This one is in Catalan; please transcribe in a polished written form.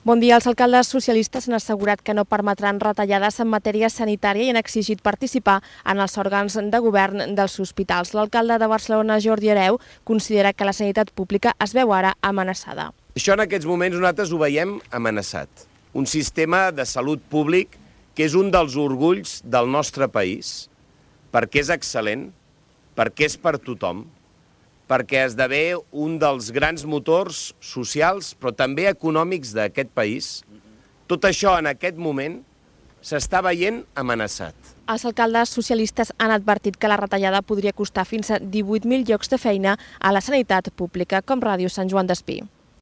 Bon dia. Els alcaldes socialistes han assegurat que no permetran retallades en matèria sanitària i han exigit participar en els òrgans de govern dels hospitals. L'alcalde de Barcelona, Jordi Hereu, considera que la sanitat pública es veu ara amenaçada. Això en aquests moments nosaltres ho veiem amenaçat. Un sistema de salut públic que és un dels orgulls del nostre país, perquè és excel·lent, perquè és per tothom, perquè esdevé un dels grans motors socials, però també econòmics d'aquest país. Tot això en aquest moment s'està veient amenaçat. Els alcaldes socialistes han advertit que la retallada podria costar fins a 18.000 llocs de feina a la sanitat pública, com Ràdio Sant Joan d'Espí.